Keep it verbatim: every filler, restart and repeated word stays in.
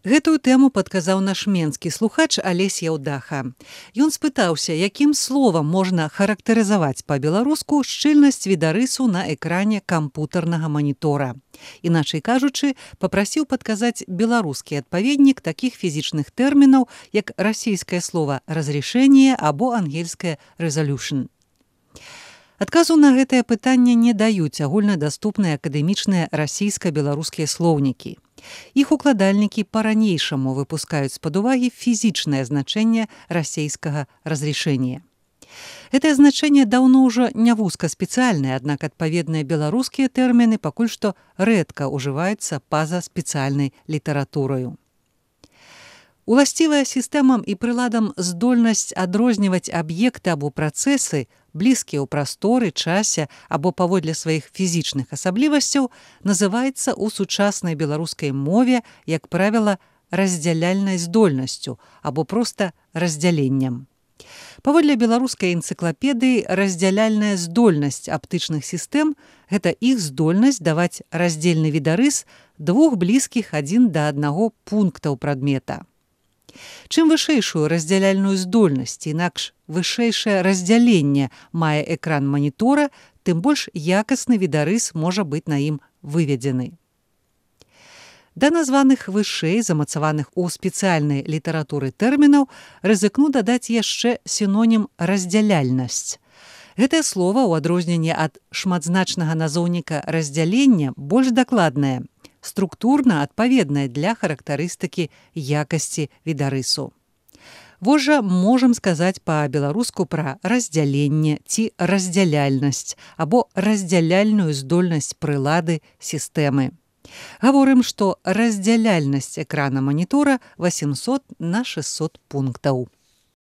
Гэтую тэму падказаў наш менскі слухач Алесь Яўдаха. Ён спытаўся, якім словам можна характарызаваць па-беларуску шчыльнасць відарысу на экране кампутарнага манітора. Іначай кажучы, папрасіў падказаць беларускі адпаведнік такіх фізічных тэрмінаў, як расійскае слова «разрешение» або ангельскае «resolution». Адказу на гэтае пытанне не даюць агульнадаступныя акадэмічныя расійска-беларускія слоўнікі. Іх укладальнікі па-ранейшаму выпускаюць з-пад увагі фізічнае значэнне расійскага разрешения. Гэтае значэнне даўно ўжо не вузкаспецыяльнае, аднак адпаведныя беларускія тэрміны пакуль што рэдка ўжываюцца па-за спецыяльнай літаратураю. Уласцівая сістэмам і прыладам здольнасць адрозніваць аб'екты або працэсы, блізкія ў прасторы, часе або паводле сваіх фізічных асаблівасцяў, называецца ў сучаснай беларускай мове, як правіла, раздзяляльнай здольнасцю або проста раздзяленнем. Паводле беларускай энцыклапедыі раздзяляльная здольнасць аптычных сістэм – гэта іх здольнасць даваць раздзельны відарыс двух блізкіх адзін да аднаго пунктаў прадмета. Чым вышэйшую раздзяляльную здольнасць, інакш вышэйшае раздзяленне мае экран манітора, тым больш якасны відарыс можа быць на ім выведзены. Да названых вышэй, замацаваных у спецыяльнай літаратуры тэрмінаў, рызыкну дадаць яшчэ сінонім раздзяляльнасць. Гэтае слова, у адрозненне ад шматзначнага назоўніка раздзялення, больш дакладнае, структурна адпаведнае для характарыстыкі якасці відарысу. Вось жа можам сказаць па-беларуску пра раздзяленне ці раздзяляльнасць або раздзяляльную здольнасць прылады сістэмы. Гаворым, што раздзяляльнасць экрана манітора васемсот на шэсцьсот пунктаў.